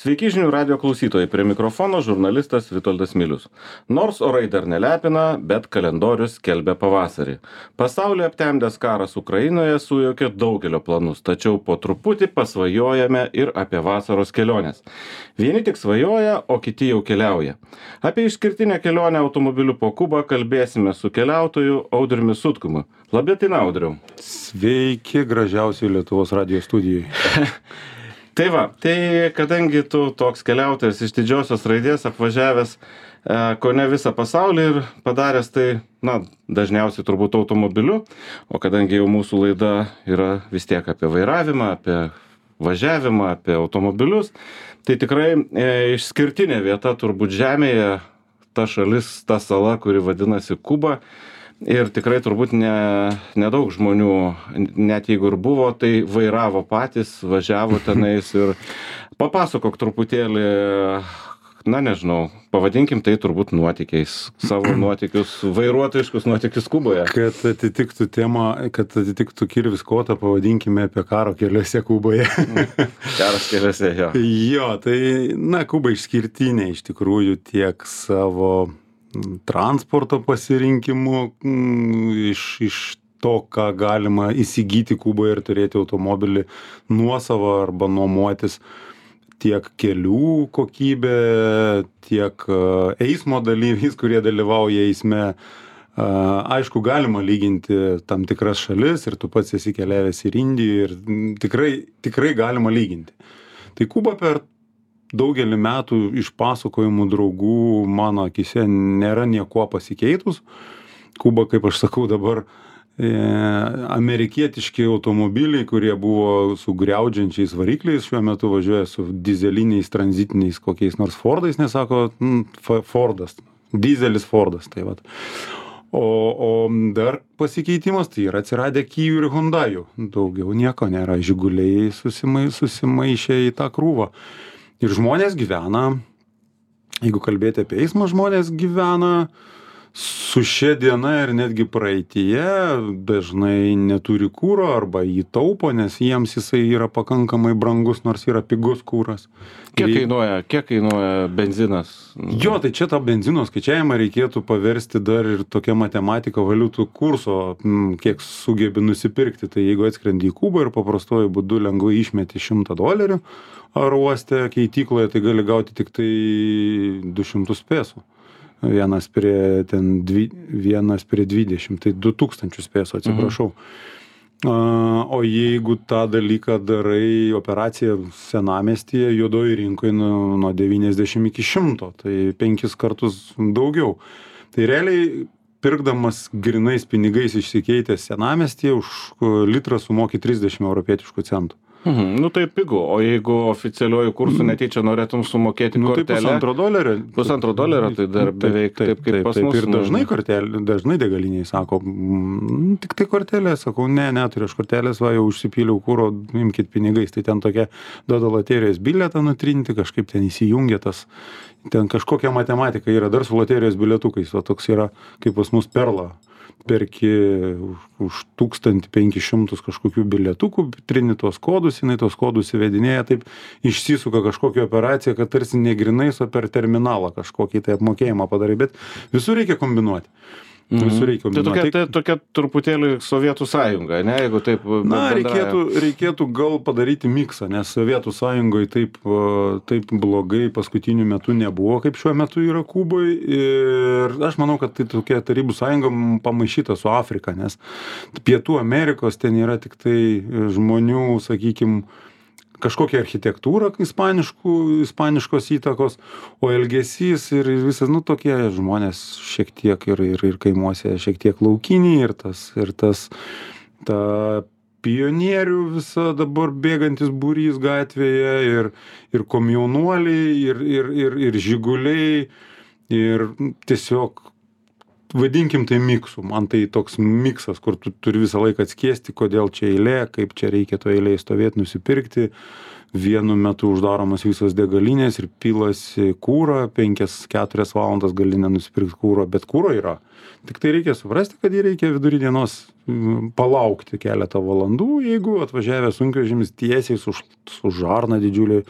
Sveiki žinių radio klausytojai, prie mikrofono žurnalistas Vitoldas Milius. Nors orai dar nelepina, bet kalendorius skelbia pavasarį. Pasaulį aptemdęs karas Ukrainoje sujaukė daugelio planus, tačiau po truputį pasvajojame ir apie vasaros keliones. Vieni tik svajoja, o kiti jau keliauja. Apie išskirtinę kelionę automobiliu po Kubą kalbėsime su keliautoju Audriumi Sutkumi. Labdieną, Audriau. Sveiki, gražiausiai Lietuvos radijo studijai. Tai va, tai kadangi tu toks keliautojas iš didžiosios raidės apvažiavęs kone visą pasaulį ir padaręs tai, dažniausiai turbūt automobiliu, o kadangi jau mūsų laida yra vis tiek apie vairavimą, apie važiavimą, apie automobilius, tai tikrai išskirtinė vieta turbūt Žemėje, ta šalis, ta sala, kuri vadinasi Kuba. Ir tikrai turbūt nedaug žmonių, net jeigu ir buvo, tai vairavo patys, važiavo tenais ir papasakok truputėlį, nežinau, pavadinkim tai turbūt nuotykiais, savo nuotykius, vairuotojiškus nuotykius Kuboje. Kad atitiktų temą, kad atitiktų Kirvis Kotą, pavadinkime apie karo keliuose Kuboje. Karas keliuose, jo. Jo, tai, Kuba išskirtinė iš tikrųjų tiek savo transporto pasirinkimu, iš to, ką galima įsigyti Kuboje ir turėti automobilį nuosavą arba nuomotis, tiek kelių kokybė, tiek eismo dalyviais, kurie dalyvauja eisme. Aišku, galima lyginti tam tikras šalis ir tu pats esi keliavęs ir Indijoje ir tikrai galima lyginti. Tai Kuba per daugelį metų iš pasakojimų draugų mano akise nėra niekuo pasikeitus. Kuba, kaip aš sakau dabar, amerikietiški automobiliai, kurie buvo su griaudžiančiais varikliais, šiuo metu važiuoja su dizeliniais, tranzitiniais kokiais nors Fordais, nesako Fordas, dizelis Fordas. Tai vat. O dar pasikeitimas, tai yra atsiradę Kijų ir Hyundaių. Daugiau nieko nėra, Žiguliai susimaišė į tą krūvą. Ir žmonės gyvena, jeigu kalbėti apie eismą, žmonės gyvena su šia diena ir netgi praeityje, dažnai neturi kuro arba jį taupo, nes jiems jisai yra pakankamai brangus, nors yra pigus kuras. Kiek kainuoja benzinas? Jo, tai čia tą benzino skaičiavimą reikėtų paversti dar ir tokia matematika valiutų kurso, kiek sugebi nusipirkti. Tai jeigu atskrendi į Kubą ir paprastuoju būdu lengvai išmeti $100 aro uoste keitykloje, tai gali gauti tik tai 200 pesų. Vienas prie 20, tai 2000 pesų, atsiprašau. O jeigu tą dalyką darai operaciją senamiestyje, juodoje rinkoje nuo 90 iki 100, tai 5 kartus daugiau. Tai realiai pirkdamas grinais pinigais išsikeitęs senamiestyje už litrą sumoki 30 europietiškų centų. Tai pigu, o jeigu oficialiuoju kursu netyčia norėtum sumokėti kortelę? Tai $1,5, tai dar beveik taip kaip pas mus. Ir dažnai degaliniai sako, tik tai kortelė, sakau, neturiu aš kortelės, jau užsipyliau kuro, imkit pinigais, tai ten tokia duoda loterijos bilietą nutrinti, kažkaip ten įsijungia tas, ten kažkokia matematika yra, dar su loterijos bilietukais, o toks yra kaip pas mus Perla. Perki už 1500 kažkokių bilietukų, trini tuos kodus, jinai tuos kodus įvedinėja, taip išsisuka kažkokią operaciją, kad tarsi ne grinais, o per terminalą kažkokį tai apmokėjimą padarai, bet visur reikia kombinuoti. Tai tokia truputėlį Sovietų sąjunga, ne, jeigu taip reikėtų gal padaryti miksą, nes Sovietų sąjungoje taip blogai paskutiniu metu nebuvo, kaip šiuo metu yra Kuboje, ir aš manau, kad tai tokia Tarybų sąjunga pamaišyta su Afrika, nes Pietų Amerikos ten yra tik tai žmonių, sakykime, kažkokia architektūra ispaniškos įtakos, o elgesys ir visas, tokie žmonės šiek tiek ir kaimuose šiek tiek laukiniai ir ta pionierių visa dabar bėgantis būrys gatvėje ir komjaunuoliai ir žiguliai ir tiesiog vadinkim tai miksu. Man tai toks miksas, kur tu turi visą laiką atskiesti, kodėl čia eilė, kaip čia reikia to eilėje stovėti, nusipirkti. Vienu metu uždaromas visos degalinės ir pilasi kūrą, 5-4 valandas gali nenusipirkti kūro, bet kūro yra. Tik tai reikia suprasti, kad jį reikia vidury dienos palaukti keletą valandų, jeigu atvažiavęs sunkvežimis tiesiai su žarna didžiulė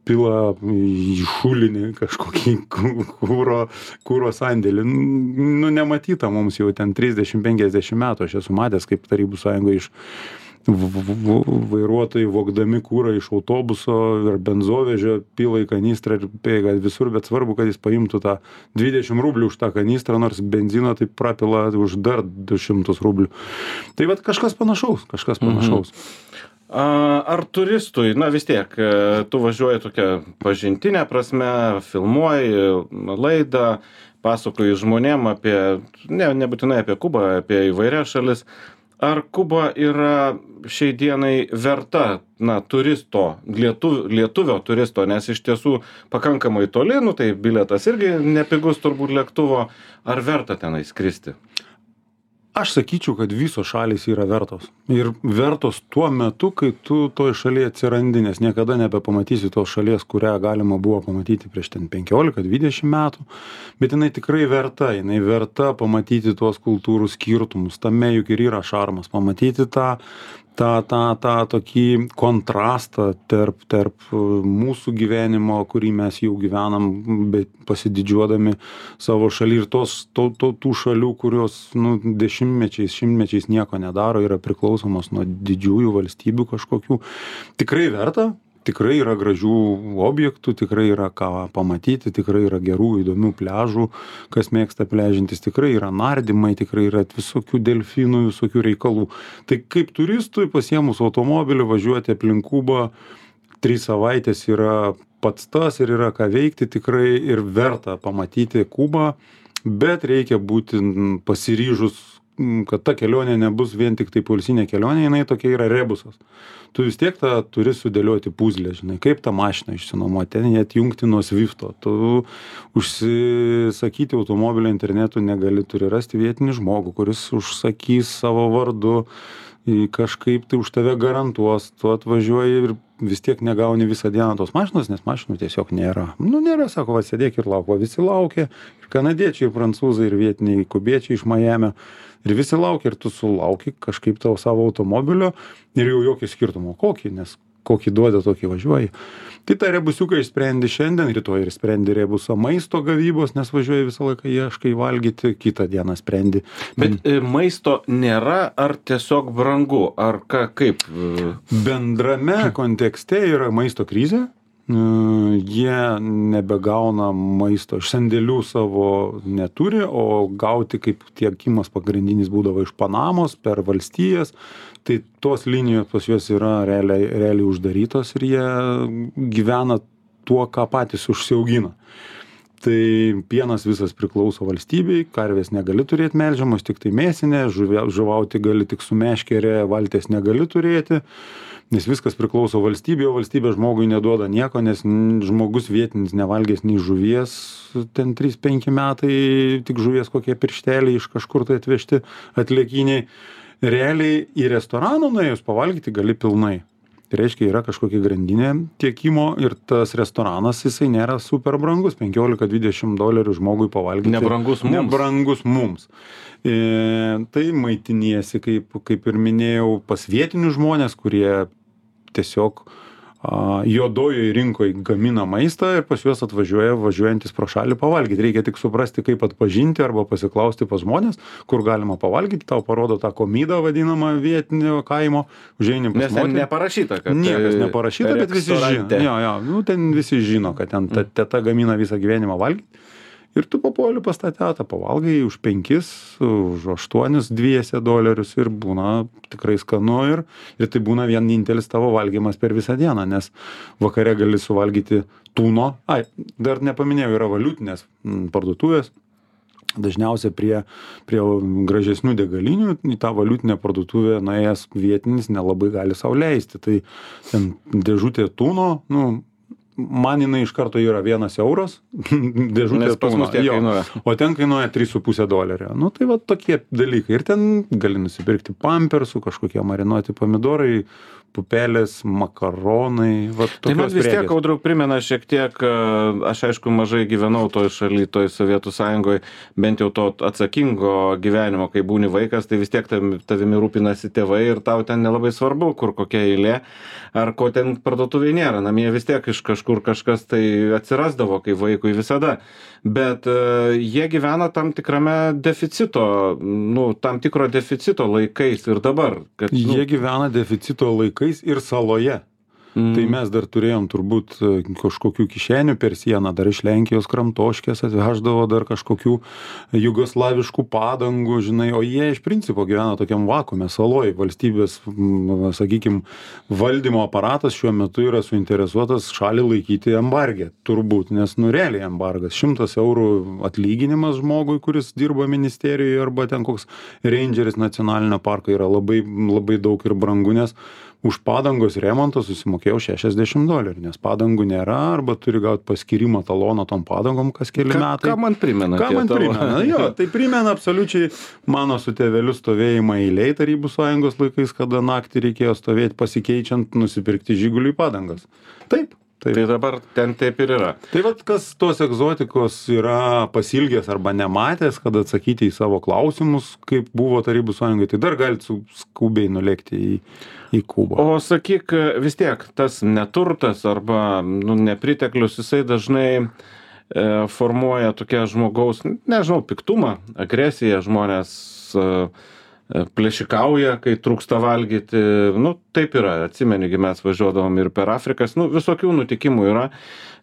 pila į šulinį kažkokį kūro sandėlį. Nu, nematyta mums jau ten 30-50 metų. Aš esu matęs, kaip Tarybų Sąjungoje iš vairuotojai vogdami kūrą iš autobuso ir benzovežio pila į kanistrą ir bėga visur, bet svarbu, kad jis paimtų tą 20 rublių už tą kanistrą, nors benzino tai prapila už dar 200 rublių. Tai vat kažkas panašaus. Ar turistui, na vis tiek, tu važiuoji tokią pažintinę prasme, filmuoji laidą, pasakoji žmonėm apie, nebūtinai apie Kubą, apie įvairias šalis. Ar Kuba yra šiai dienai verta, turisto, lietuvio turisto, nes iš tiesų pakankamai toli, tai bilietas irgi nepigus turbūt lėktuvo, ar verta tenai skristi? Aš sakyčiau, kad visos šalys yra vertos. Ir vertos tuo metu, kai tu toj šalyje atsirandi, nes niekada nebepamatysi tos šalies, kurią galima buvo pamatyti prieš ten 15-20 metų. Bet jinai tikrai verta. Jinai verta pamatyti tuos kultūrų skirtumus. Tame juk ir yra šarmas. Pamatyti tą tokį kontrastą tarp mūsų gyvenimo, kurį mes jau gyvenam, bet pasididžiuodami savo šalį ir tų šalių, kurios dešimtmečiais, šimtmečiais nieko nedaro, yra priklausomos nuo didžiųjų valstybių kažkokių. Tikrai verta. Tikrai yra gražių objektų, tikrai yra ką pamatyti, tikrai yra gerų, įdomių pliažų, kas mėgsta pliažintis, tikrai yra nardymai, tikrai yra visokių delfinų, visokių reikalų. Tai kaip turistui pasiėmus automobilį važiuoti aplink Kubą 3 savaitės yra pats tas ir yra ką veikti, tikrai ir verta pamatyti Kubą, bet reikia būti pasiryžus, kad ta kelionė nebus vien tik tai poilsinė kelionė, jinai tokia yra rebusas. Tu vis tiek tą turi sudėlioti puzlę, žinai, kaip tą mašiną išsinuomoti, ten jį atjungti nuo Swifto. Tu užsisakyti automobilio internetu negali, turi rasti vietinį žmogų, kuris užsakys savo vardu, kažkaip tai už tave garantuos, tu atvažiuoji ir vis tiek negauni visą dieną tos mašinos, nes mašinų tiesiog nėra. Nėra, sako, sėdėk ir lauk, visi laukia, ir kanadiečiai, ir prancūzai, ir vietiniai kubiečiai iš Majamio. Ir visi laukia, ir tu sulauki kažkaip tavo savo automobilio ir jau jokio skirtumo kokį, nes kokį duoda, tokį važiuoji. Tai tą rebusiuką išsprendi šiandien, rytoj ir sprendi rebusą maisto gavybos, nes važiuoji visą laiką ieškai valgyti, kitą dieną sprendi. Bet maisto nėra, ar tiesiog brangu, ar kaip? Bendrame kontekste yra maisto krizė. Jie nebegauna maisto, iš sandėlių savo neturi, o gauti kaip tiekimas pagrindinis būdavo iš Panamos per valstijas, tai tos linijos pas juos yra realiai uždarytos ir jie gyvena tuo, ką patys užsiaugina. Tai pienas visas priklauso valstybei, karvės negali turėti melžiamos, tik tai mėsinė, žuvauti gali tik su meškerė, valties negali turėti. Nes viskas priklauso valstybė, o valstybė žmogui neduoda nieko, nes žmogus vietinis nevalgės nei žuvies, ten 3-5 metai, tik žuvies kokie piršteliai iš kažkur tai atvežti atliekiniai. Realiai į restoraną nuėjus pavalgyti gali pilnai. Tai reiškia, yra kažkokia grandinė tiekimo ir tas restoranas, jisai nėra super brangus, $15-20 žmogui pavalgyti. Nebrangus mums. Tai maitiniesi, kaip ir minėjau, pas vietinius žmonės, kurie tiesiog juodojoje rinkoje gamina maistą ir pas juos važiuojantis pro šalį pavalgyti. Reikia tik suprasti, kaip atpažinti arba pasiklausti pas žmonės, kur galima pavalgyti. Tau parodo tą komidą vadinamą vietinio kaimo. Užeini pas moterį. Nes neparašyta, kad niekas neparašyta, bet visi žino. Ten visi žino, kad ten teta gamina visą gyvenimą valgyti. Ir tu papuoli pas tą tetą, pavalgai už 5, už 8 dviese dolerius ir būna tikrai skanu ir tai būna vienintelis tavo valgymas per visą dieną, nes vakare gali suvalgyti tūno. Dar nepaminėjau, yra valiutinės parduotuvės. Dažniausiai prie gražesnių degalinių į tą valiutinę parduotuvę nuėjęs vietinis nelabai gali sau leisti. Tai ten dėžutė tūno, man jinai iš karto yra €1 dėžutė tūno, o ten kainuoja $3,5. Tai va tokie dalykai. Ir ten gali nusipirkti pampersų, kažkokie marinuoti pomidorai, pupelės, makaronai. Tai man vis tiek, Audriau, primena šiek tiek, aš aišku mažai gyvenau toj šaly, toj Sovietų Sąjungoje, bent jau to atsakingo gyvenimo, kai būni vaikas, tai vis tiek tavimi rūpinasi tėvai ir tau ten nelabai svarbu, kur kokia eilė, ar ko ten parduotuvėje nėra. Namie vis tiek iš kažkur kažkur kažkas tai atsirasdavo, kai vaikui visada. Bet jie gyvena tam tikrame deficito, tam tikro deficito laikais ir dabar. Jie gyvena deficito laikais ir saloje. Tai mes dar turėjom turbūt kažkokių kišenių per sieną, dar iš Lenkijos kramtoškės atveždavo dar kažkokių jugoslaviškų padangų, žinai, o jie iš principo gyvena tokiam vakuume saloj. Valstybės, sakykim, valdymo aparatas šiuo metu yra suinteresuotas šalį laikyti embargę, turbūt, nes realiai embargas. 100 eurų atlyginimas žmogui, kuris dirba ministerijoje, arba ten koks rangeris nacionalinio parko yra labai, labai daug ir brangu, nes už padangos remontą susimokėjau $60, nes padangų nėra, arba turi gauti paskirimą taloną tom padangom kas keli metai. Ką man primena? Jo, tai primena absoliučiai mano su tėveliu stovėjimą eilėj Tarybų Sąjungos laikais, kada naktį reikėjo stovėti pasikeičiant, nusipirkti Žiguliui padangas. Taip. Tai dabar ten taip ir yra. Tai vat, kas tos egzotikos yra pasilgęs arba nematęs, kad atsakyti į savo klausimus, kaip buvo Tarybų Sąjungai, tai dar galite skubiai nulėkti į Kubą. O sakyk, vis tiek, tas neturtas arba nepriteklius, jisai dažnai formuoja tokia žmogaus, nežinau, piktumą, agresiją, žmonės plėšikauja, kai trūksta valgyti, taip yra, atsimeni, mes važiuodavom ir per Afrikas, visokių nutikimų yra,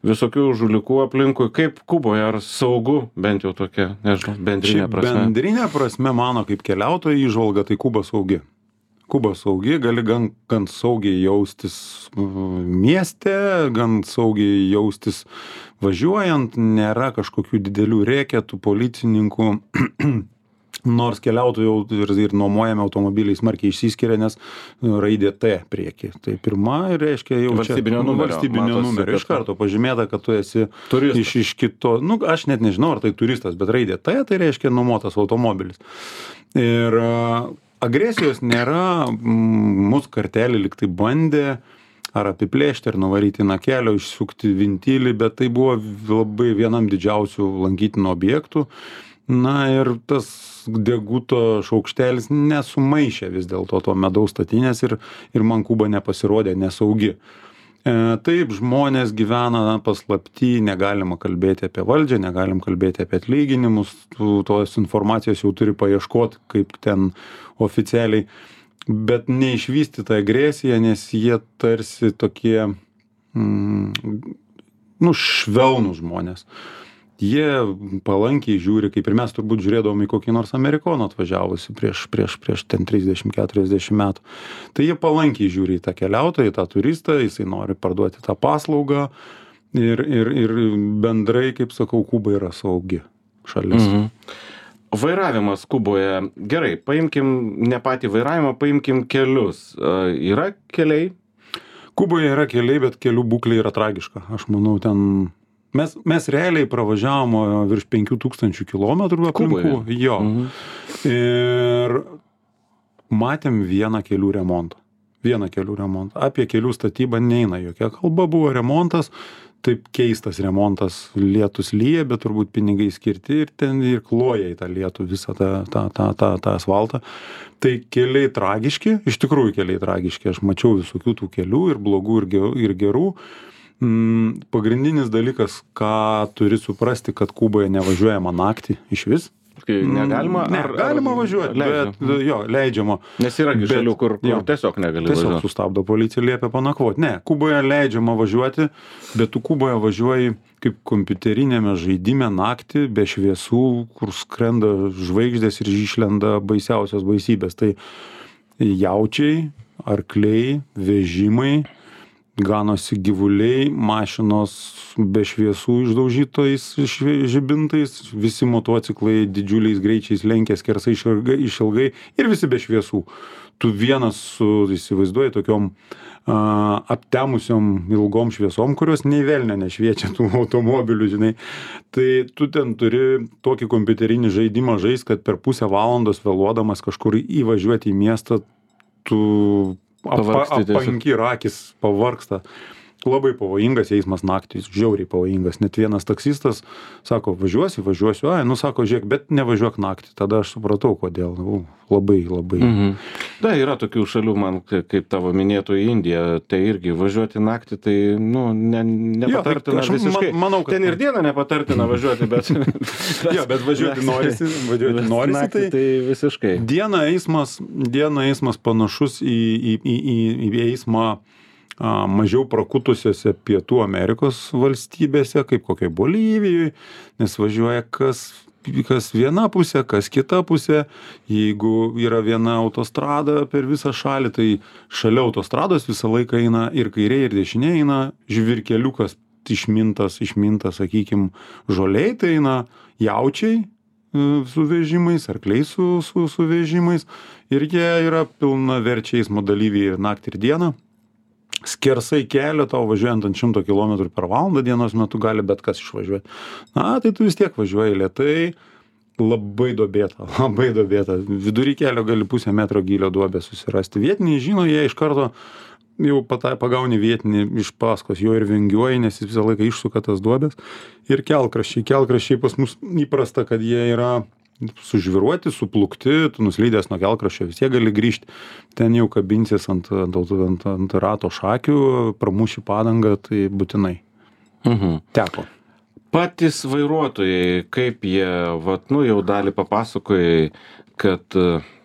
visokių žulikų aplinkui, kaip Kuboje, ar saugu, bent jau tokia, nežinau, bendrinė prasme. Bendrinė prasme, mano kaip keliautojo įžvalga, tai Kuba saugi. Kuba saugi, gali gan saugiai jaustis mieste, gan saugiai jaustis važiuojant, nėra kažkokių didelių rėketų, policininkų, nors keliautojų ir nuomojami automobiliai smarkiai išsiskiria, nes raidė T prieki. Tai pirma, reiškia jau valstybinio numerio. Iš karto pažymėta, kad tu esi iš kito, aš net nežinau, ar tai turistas, bet raidė T, tai reiškia nuomotas automobilis. Ir agresijos nėra, mūsų kartelį lyg tai bandė ar apiplėšti, ar nuvaryti nuo kelio, išsukti vintilį, bet tai buvo labai vienam didžiausių lankytinų objektų. Na ir tas deguto šaukštelis nesumaišė vis dėlto to medaus statinės ir man Kuba nepasirodė nesaugi. Taip, žmonės gyvena paslapty, negalima kalbėti apie valdžią, negalim kalbėti apie atlyginimus, tos informacijos jau turi paieškoti, kaip ten oficialiai, bet neišvystyta agresija, nes jie tarsi tokie, švelnūs žmonės. Jie palankiai žiūri, kaip ir mes turbūt žiūrėdavom į kokį nors Amerikoną atvažiavusi prieš ten 30-40 metų. Tai jie palankiai žiūri į tą keliautoją, į tą turistą, jisai nori parduoti tą paslaugą ir bendrai, kaip sakau, Kuba yra saugi šalis. Vairavimas Kuboje, gerai, paimkim ne patį vairavimą, paimkim kelius. Yra keliai? Kuboje yra keliai, bet kelių būklė yra tragiška. Aš manau, ten mes realiai pravažiavom virš 5000 kilometrų aplinkų. Jo. Ir matėm vieną kelių remontą. Apie kelių statybą neina jokia kalba, buvo remontas, taip keistas remontas, lietus lyja, bet turbūt pinigai skirti ir ten ir kloja į tą lietų visą tą asfaltą. Tai keliai tragiški, iš tikrųjų keliai tragiški, aš mačiau visokių tų kelių ir blogų ir gerų. Pagrindinis dalykas, ką turi suprasti, kad Kuboje nevažiuojama naktį iš vis. Negalima? Galima važiuoti, bet leidžiama. Nes yra šalių, kur tiesiog negali važiuoti. Tiesiog sustabdo policija, liepia panakvoti. Ne, Kuboje leidžiama važiuoti, bet tu Kuboje važiuoji kaip kompiuterinėme žaidime naktį, be šviesų, kur skrenda žvaigždės ir išlenda baisiausios baisybės. Tai jaučiai, arkliai, vežimai, ganosi gyvuliai, mašinos be šviesų išdaužytais žibintais, visi motociklai didžiuliais greičiais lenkia skersai išilgai ir visi be šviesų. Tu vienas įsivaizduoji tokiom aptemusiom ilgom šviesom, kurios nei velnio nešviečia tų automobilių, žinai. Tai tu ten turi tokį kompiuterinį žaidimą žaist, kad per pusę valandos vėluodamas kažkur įvažiuoti į miestą, tu apanki ir akis pavargsta. labai pavojingas eismas naktį, žiauriai pavojingas. Net vienas taksistas sako, važiuosiu, sako, žiūrėk, bet nevažiuok naktį. Tada aš supratau, kodėl. Labai. Da, yra tokių šalių, man, kaip tavo minėtų į Indiją, tai irgi važiuoti naktį, tai, nepatartina visiškai. Manau, kad ten ir dieną nepatartina važiuoti, bet... bet važiuoti norisi, tai visiškai. Dieną eismas panašus į eismą mažiau prakutusiose Pietų Amerikos valstybėse, kaip kokiai Bolivijoje, nes važiuoja kas viena pusė, kas kita pusė. Jeigu yra viena autostrada per visą šalį, tai šalia autostrados visą laiką eina ir kairė, ir dešinė eina žvirkeliukas išmintas, sakykim, žoliai, tai eina jaučiai su vežimais, arkliai su vežimais, ir jie yra pilnaverčiai eismo dalyviai ir naktį ir dieną. Skersai kelio tau važiuojant ant 100 km per valandą dienos metu gali bet kas išvažiuoti. Tai tu vis tiek važiuoji lėtai, labai duobėta. Vidury kelio gali 0,5 metro gylio duobę susirasti. Vietiniai žino, jie iš karto jau pagauni vietinį iš paskos, jo ir vingiuoji, nes jis visą laiką išsuka tas duobės. Ir kelkraščiai pas mus įprasta, kad jie yra sužviruoti, suplukti, tu nuslydęs nuo kelkraščio vis tiek gali grįžti, ten jau kabinsis ant rato šakių, pramuši padangą, tai būtinai. Teko. Patys vairuotojai, kaip jie, jau dalį papasakojai, kad,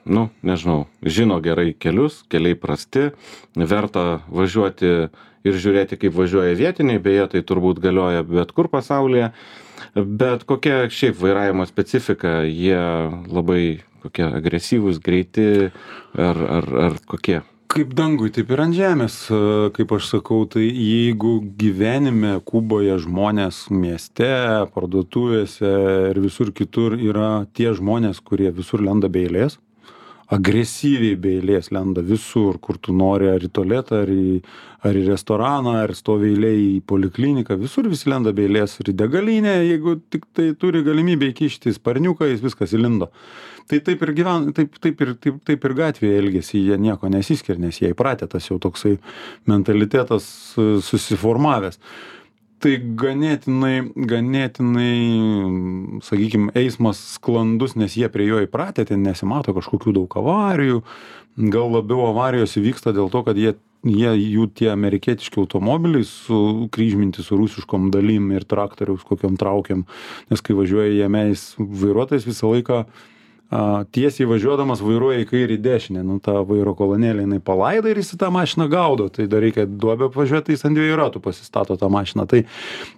nežinau, žino gerai kelius, keliai prasti, verta važiuoti ir žiūrėti, kaip važiuoja vietiniai, beje, tai turbūt galioja bet kur pasaulyje. Bet kokia šiaip vairavimo specifika, jie labai kokie agresyvūs, greiti ar kokie? Kaip dangui, taip ir ant žemės, kaip aš sakau, tai jeigu gyvenime Kuboje žmonės mieste, parduotuvėse ir visur kitur yra tie žmonės, kurie visur lenda be eilės, agresyviai be eilės lenda visur, kur tu nori, ar į tualetą, ar į restoraną, ar stovi eilėj į polikliniką, visur visi lenda be eilės, ir į degalinę, jeigu tik tai turi galimybę įkišti sparniuką, jis viskas įlindo. Tai taip ir gatvėje elgesi, jie nieko nesiskiria, nes jie įpratę, tas jau toksai mentalitetas susiformavęs. Tai ganėtinai, sakykime, eismas sklandus, nes jie prie jo įpratę, ten nesimato kažkokių daug avarijų, gal labiau avarijos įvyksta dėl to, kad jų tie amerikietiški automobiliai kryžminti su rusiškom dalim ir traktoriaus kokiom traukiam, nes kai važiuoja jėmeis vairuotojas visą laiką tiesiai važiuodamas vairuoja į kairį dešinę, ta vairo kolonėlė jinai palaida ir jis į tą mašiną gaudo, tai dar reikia duobę apvažiuoti, tai jis ant 2 ratų pasistato tą mašiną. Tai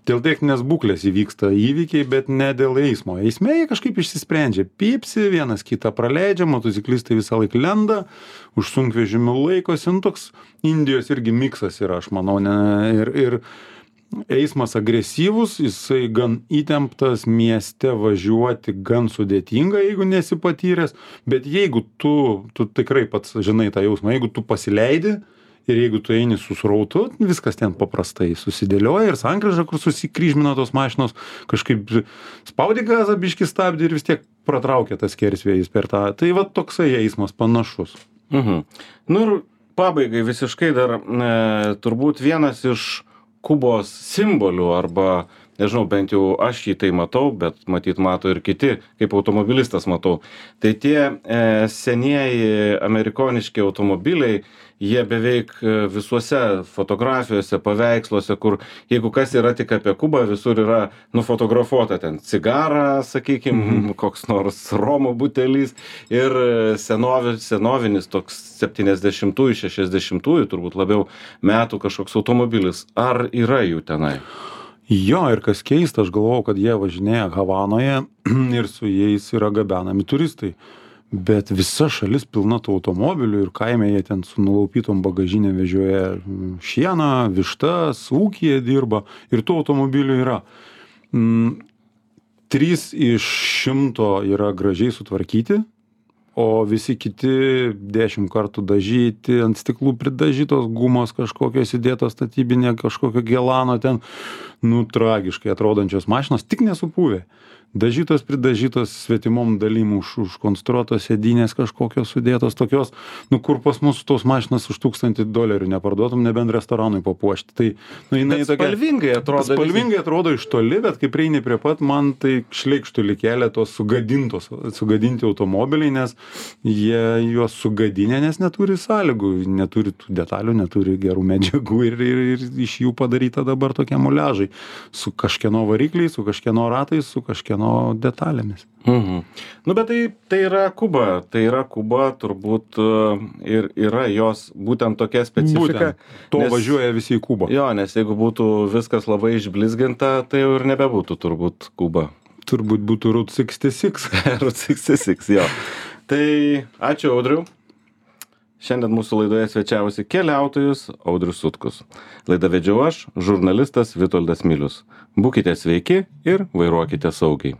dėl techninės būklės įvyksta įvykiai, bet ne dėl eismo. Eisme jie kažkaip išsisprendžia, pypsi, vienas kitą praleidžia, motociklistai visą laiką lenda, už sunkvežimių laikosi, toks Indijos irgi miksas yra, aš manau, ir eismas agresyvus, jisai gan įtemptas, mieste važiuoti gan sudėtinga, jeigu nesi patyręs, bet jeigu tu tikrai pats žinai tą jausmą, jeigu tu pasileidi ir jeigu tu eini su srautu, viskas ten paprastai susidėlioja ir sankryža, kur susikryžmina tos mašinos, kažkaip spaudi gazą, biškį stabdį ir vis tiek pratraukia tas skersvėjis per tą. Tai toksai eismas panašus. Ir pabaigai visiškai dar turbūt vienas iš Kubos simbolių, arba, nežinau, bent jau aš jį tai matau, bet matyt mato ir kiti, kaip automobilistas matau. Tai tie senieji amerikoniški automobiliai, jie beveik visuose fotografijose, paveiksluose, kur jeigu kas yra tik apie Kubą, visur yra nufotografuota ten cigarą, sakykim, koks nors romo butelis ir senovinis toks 70-ųjų, 60-ųjų, turbūt labiau metų kažkoks automobilis. Ar yra jų tenai? Jo, ir kas keista, aš galvojau, kad jie važinėja Havanoje ir su jais yra gabenami turistai. Bet visa šalis pilna tų automobilių ir kaime jie ten su nulaupytom bagažinėm vežioja šieną, vištas, ūkyje dirba ir tų automobilių yra. 3 iš 100 yra gražiai sutvarkyti, o visi kiti 10 kartų dažyti, ant stiklų pridažytos gumos kažkokios įdėtos statybinė, kažkokio gelano ten. nu, tragiškai atrodančios mašinos, tik nesupuvę. Dažytos, pridažytos, svetimom dalim užkonstruotos sėdynės kažkokios sudėtos, tokios, nu, kur pas mus tos mašinas už $1000 neparduotum, nebent restoranui papuošti. Tai, nu, jinai Bet spalvingai atrodo. Spalvingai atrodo iš toli, bet kai prieini prie pat, man tai šleikštulį kelia tos sugadinti automobiliai, nes jie juos sugadinę, nes neturi sąlygų, neturi tų detalių, neturi gerų medžiagų ir iš jų padaryta dabar tokie muliažai. Su kažkieno varikliais, su kažkieno ratais, su kažkieno detalėmis. Nu, bet tai yra Kuba. Tai yra Kuba, turbūt ir yra jos būtent tokia specifika. To važiuoja visi į Kubą. Jo, nes jeigu būtų viskas labai išblizginta, tai jau ir nebebūtų turbūt Kuba. Turbūt būtų Route 66. Route 66, jo. Tai ačiū, Audriau. Šiandien mūsų laidoje svečiavosi keliautojus Audrius Sutkus. Laidą vedžiau aš, žurnalistas Vitoldas Milius. Būkite sveiki ir vairuokite saugiai.